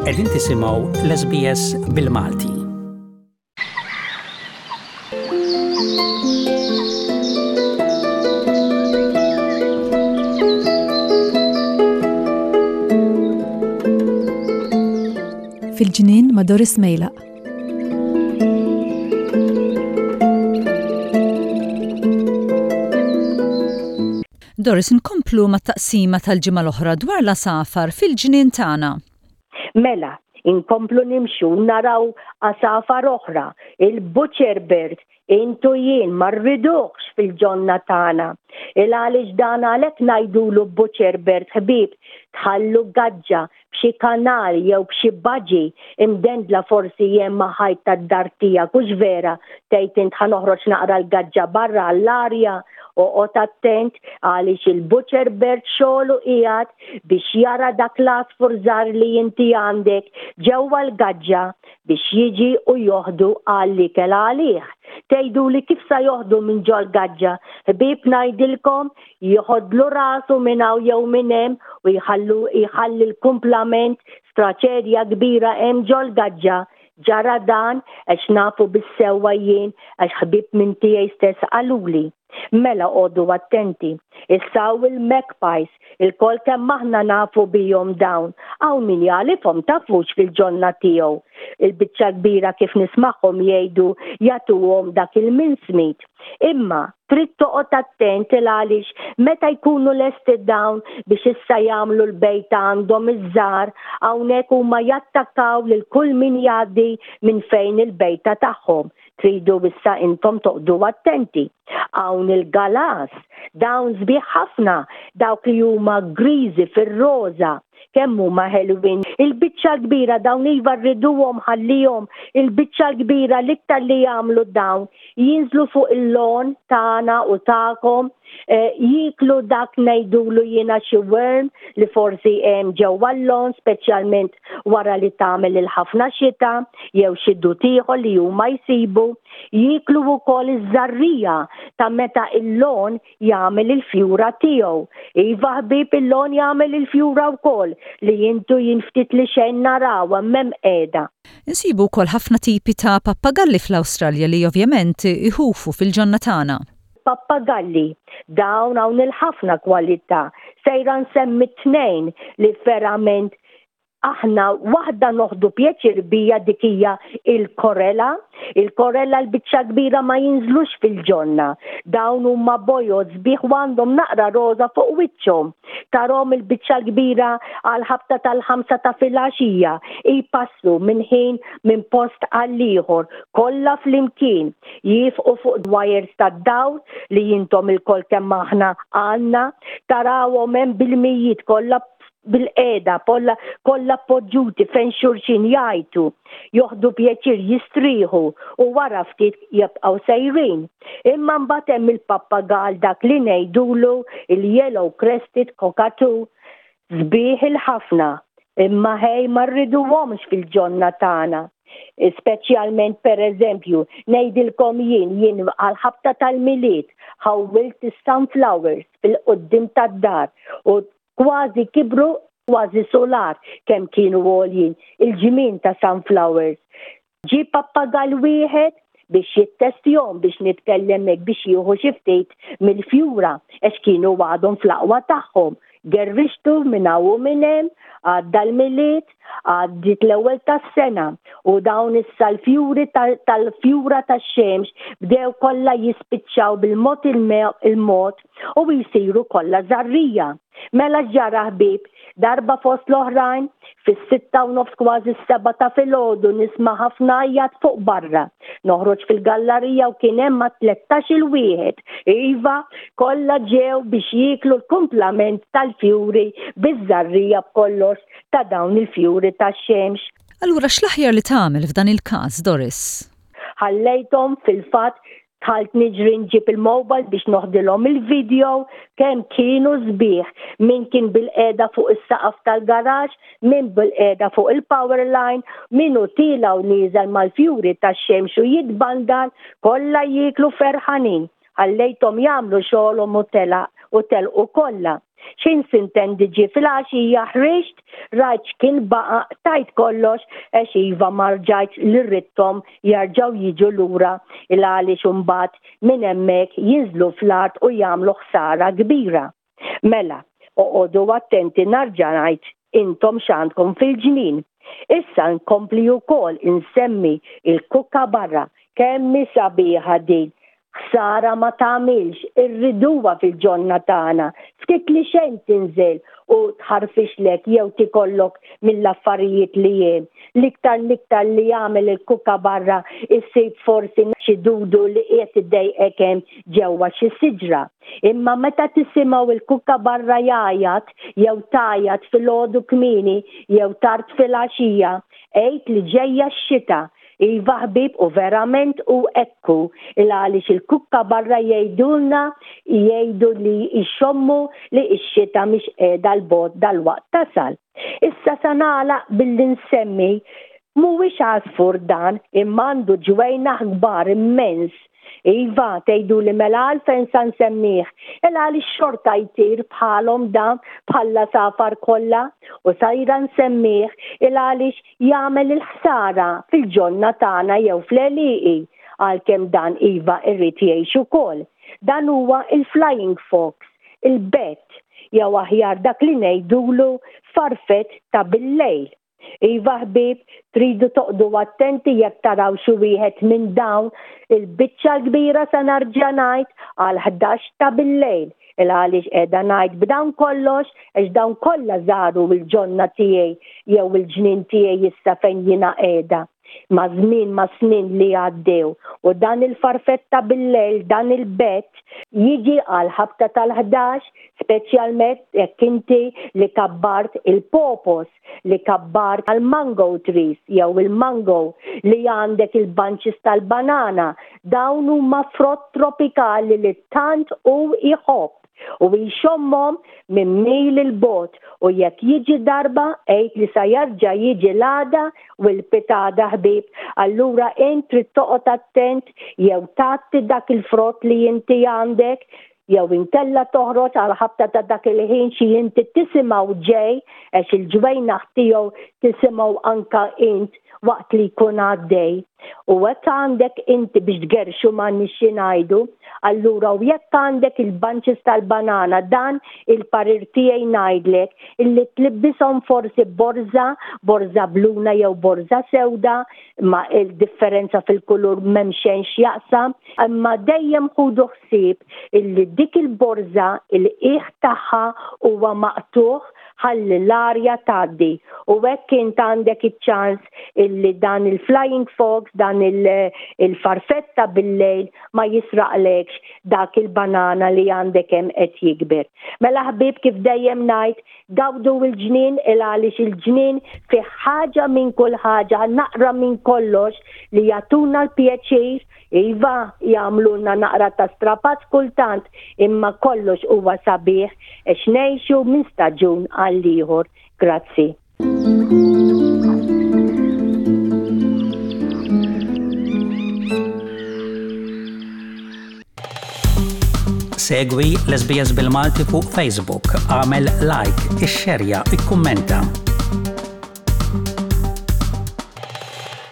Qegħdin tisimgħu l-SBS bil-Malti. Fil-ġnien ma' Doris Mejlaq. Doris, inkomplu mat-taqsima tal-ġimgħa l-oħra dwar l-għasafar fil-ġnien tagħna. Mela, inkomplu nimxu u naraw għasafar oħra, il-butcher bird, int u jien ma rriduhx fil-ġonna tagħna. Il għaliex dan għalhekk ngħidulu butcher bird ħbieb, tħallu gaġġa b'xi kanal jew b'xi baġi imdendla forsi hemm ma' ħajt tad-dar tiegħek hux vera tgħid int ħa noħroġ naqra l-gaġġa barra għall-arja oqgħod attent għaliex il-butcher bird xogħlu qiegħed biex jara dak l-għasfur żgħar li inti għandek ġewwa l-gaġġa biex jiġi u joħdu għall-ikel għalih. Tgħiduli kif sa joħdu minn ġol-gaġġa? Ħbieb ngħidilkom Jieħodlu rasu minn hawn jew minn hemm u jħallu jħalli l-kumplament f'traċedja kbira hemm ġol-gaġġa. Ġara dan għax nafu bis-sewwa jien għax ħbieb minn tiegħi stess qaluli. Mela qogħdu attenti. Issa hawn il-magpies, ilkoll kemm aħna nafu bihom dawn. Hawn min jagħlifhom tafux fil-ġonna tiegħu. Il-biċċa l-kbira kif nismagħhom jgħidu jagħtuhom dak il-mincemeat. Imma trid toqgħod attent il għaliex meta jkunu lesti dawn biex issa jagħmlu l-bejta għandhom iż-żgħar, hawnhekk huma jattakkaw lil kull min jgħaddi minn fejn il-bejta tagħhom. Tridu issa intom toqgħdu attenti. Hawn il-galas, dawn sbieħ ħafna, dawk li huma griżi fir-roża, kemm huma ħelwin. Il-biċċa l-kbira dawn iva rriduhom ħallihom, il-biċċa l-kbira l-iktar li jagħmlu dawn jinżlu fuq il-lawn tagħna u tagħkom, eh, jieklu dak ngħidulu jiena xi worm li forsi hemm ġewwa l-lawn speċjalment wara li tagħmel il-ħafna xita jew xi dud ieħor li huma jsibu, jieklu wkoll iż-żarrija ta' meta il-lawn jagħmel il-fjura tiegħu. Iva ħbieb il-lawn jagħmel il-fjura wkoll li intu jien ftit li xejn naraw hemm hemm qiegħda. Insibu wkoll ħafna tipi ta' pappagalli fl-Awstralja li ovvjament iħufu fil-ġonna tagħna. Pappagalli, dawn hawn il-ħafna kwalità. Sejra nsemmi tnejn li verament aħna waħda noħdu pjaċir bija dik hija il-korela. Il-korela l-biċċa kbira ma jinżlux fil-ġonna. Dawn huma bojod sbieħ u għandhom naqra roża fuq wiċċhom. Tarhom il-biċċa l-kbira għal ħabta tal-ħamsa ta' filgħaxija jpassu minn ħin minn post għal ieħor kollha flimkien jifqu fuq wires tad-dawl li intom ilkoll kemm aħna għandna tarawhom hemm bil-mijiet kollha bil-qiegħda kollha kollha poġġuti fejn xulxin jgħajtu, joħdu pjaċir jistrieħu u wara ftit jibqgħu sejrin. Imma mbagħad hemm il-pappagal dak li ngħidulu il-yellow crested cockatoo. Sbieħ il-ħafna, imma ħej ma rriduhomx fil-ġonna tagħna. Speċjalment pereżempju, ngħidilkom jien, jien għall-ħabta tal-Milied ħawwilt is-sunflowers fil-quddiem tad-dar u Kważi kibru kważi sular kemm kienu għoljin il-ġmien ta' sunflowers. Ġie pappagall wieħed biex jittestjhom biex nitkellem hekk biex jieħu xi ftit mill-fjura għax kienu għadhom fl-aqwa tagħhom. Gerrixtu minn hawn u minn hemm, għadda l-Milied, għaddiet l-ewwel tas-sena u dawn issa l-fjuri tal-fjura tax-xemx bdew kollha jispiċċaw bil-mod il-mod u jsiru kollha żarrija. Mela x'ġara ħbieb? Darba fost l-oħrajn, fis-sitta u nofs kważi s-sebgħa ta' filgħodu nisma' ħafna għajjat fuq barra. Noħroġ fil-gallarija u kien hemm ma' tlettax-il wieħed. Iva, kollha ġew biex jieklu l-kumplament tal-fjuri biż-żarrija b'kollox ta' dawn il-fjuri tax-xemx. Allura x'l-aħjar li tagħmel f'dan il-każ, Doris? Ħallejthom fil-fatt Dħalt niġri nġib il-mobile biex noħdilhom il-video kemm kienu sbieħ. Min kien bilqiegħda fuq is-saqaf tal-garaxx, min bilqiegħda fuq il-power line, min hu tiela' u nieżel mal-fjuri tax-xemx u jitbandal, kollha jieklu ferħanin. Ħallejthom jagħmlu xogħolhom u telaq. u telqu kollha. X'ħin sintendi ġie filgħaxija ħriġt, rajt x'kien baqa', qtajt kollox għax iva ma rġajtx li ridthom jerġgħu jiġu lura il-għaliex imbagħad minn hemmhekk jinżlu fl-art u jagħmlu ħsara kbira. Mela, oqogħdu attenti narġa' ngħid intom x'għandkom fil-ġnien. Issa nkompli wkoll insemmi il-kookaburra, kemm hi sabiħa din, ħsara ma tagħmilx, irriduha fil-ġonna tagħna, ftit li xejn tinżel u tħarfixlek jew tikollok mill-affarijiet li hemm. L-iktar l-iktar li jagħmel il-kookaburra issib forsi xi dudu li qiegħed idejqek hemm ġewwa xi siġra. Imma meta tisimgħu l-kookaburra jgħajjat jew tgħajjat filgħodu kmieni jew tard filgħaxija, għid li ġejja x-xita. Iva ħbieb u verament hu hekk hu, il-għaliex il-kookaburra jgħidulna jgħidu li jxommu li x-xita mhix qiegħda 'l bogħod dalwaqt tasal. Issa sa nagħlaq billi nsemmi, mhuwiex għasfur dan imma għandu ġwejnaħ kbar immens. Iva, tgħiduli mela għalfejn sa nsemmih? Il għaliex xorta jtir bħalhom dan bħall-għasafar kollha u sajra nsemmih il għaliex jagħmel il-ħsara fil-ġonna tagħna jew fl-għelieqi għalkemm dan iva irid jgħix ukoll. Dan huwa il-flying fox il-bett, jew aħjar dak li ngħidulu farfett ta' bil-lejl. Iva ħbieb, tridu toqgħdu attenti jekk taraw xi wieħed minn dawn, il-biċċa l-kbira sa narġa' ngħid għal 11 ta' bil-lejl. Il għaliex qiegħda ngħid b'dawn kollox għax dawn kollha żaru l-ġonna tiegħi jew il-ġnien tiegħi issa fejn jiena qiegħda. Maż-żmien, mas-snin li għaddew, u dan il-farfett ta' bil-lejl, dan il-bett, jiġi għall-ħabta tal-ħdax, speċjalment jekk inti li kabbart il-popos, li kabbart għall-mango trees jew il-mango, li għandek il-bunches tal-banana, dawn huma frott tropikali li tant hu jħobb. U jxommhom minn mil 'il bogħod, u jekk jiġi darba, għid li sa jarġa' jiġi l-għada u l-pitgħada ħbieb, allura int trid toqgħod attent jew tgħatti dak il-frott li inti għandek, jew inkella toħroġ għall-ħabta ta' dak il-ħin xi inti tisimgħu ġej, għax il-ġwejnaħ tiegħu tisimgħu anka int waqt li jkun għaddej. U hekk għandek inti biex tgerrxu m'għandniex xi ngħidu, allura u jekk għandek il-bunches tal-banana dan il-parir tiegħi ngħidlek illi tlibbishom forsi borża, borża bluna jew borża sewda, ma il-differenza fil-kulur m'hemm xejn x'jaqsam, imma dejjem ħudu ħsieb illi dik il-borża il-qiegħ tagħha huwa maqtugħ ħalli l-arja tgħaddi u hekk int għandek iċ-ċans illi dan il-flying fox, dan il-farfetta bil-lejl ma jisraqlekx dak il-banana li għandek hemm qed jikber. Mela ħbieb kif dejjem ngħid, gawdu l-ġnien il għaliex il-ġnien fih ħaġa minn kull ħaġa, naqra minn kollox li jagħtuna l-pjaċir Iva, jagħmlulna naqra ta' strapazz kultant, imma kollox huwa sabiħ għax ngħixu minn staġun għall-ieħor. Grazzi. Segwi l-SBS bil-Malti fuq Facebook, għamel like, ixxerja, ikkummenta.